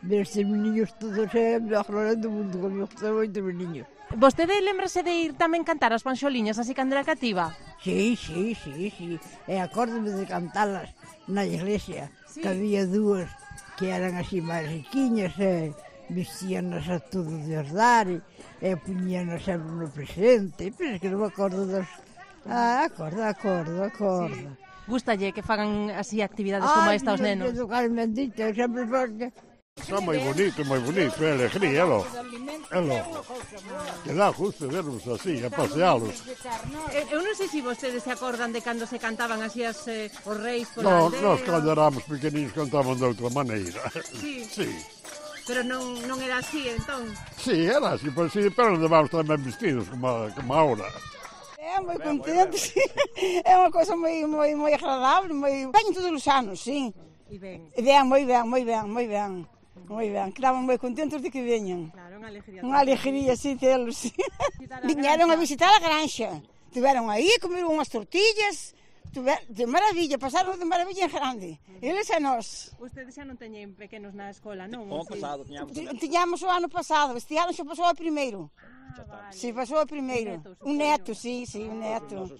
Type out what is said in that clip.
ver estes meniños todos é a mellor hora do mundo, que me gusta moito os meniños. Vostede lembrase de ir tamén cantar as panxoliñas así cando era cativa? Sí. E acórdome de cantalas na iglesia, sí. Que había dúas que eran así máis riquiñas e vestíanas a todo de ordar e puñíanas sempre no presente, pero é que non me acordo das... Acordo. Sí. Gustalle que fagan así actividades como esta aos nenos? Ai, Carmen Dita, sempre porque... Está moi bonito, é alegría, elo. Que dá gusto verlos así, a pasealos. Eu non sei se vostedes se acordan de cando se cantaban así os reis No, pola aldea. nós cando éramos pequeninos cantaban de outra maneira. Sí. Pero non era así, entón? Sí, era así, pero levamos tamén vestidos como ahora. É moi contente, sí. É unha cosa moi agradable, Veñen todos os anos, sí. E ben? Moi ben. Quedaban moi contentos de que veñan. Claro, unha alegría. Unha alegría, sí, telos, sí. Viñeron a visitar a granxa. Tiveron aí, comeron unhas tortillas, de maravilla, pasaron de maravilla en grande. Eles e nós. Ustedes xa non teñen pequenos na escola, non? O ano pasado tiñamos o ano pasado, este ano xa pasou o primeiro. Vale. Sí, pasou o primeiro. Un neto, sí, un neto.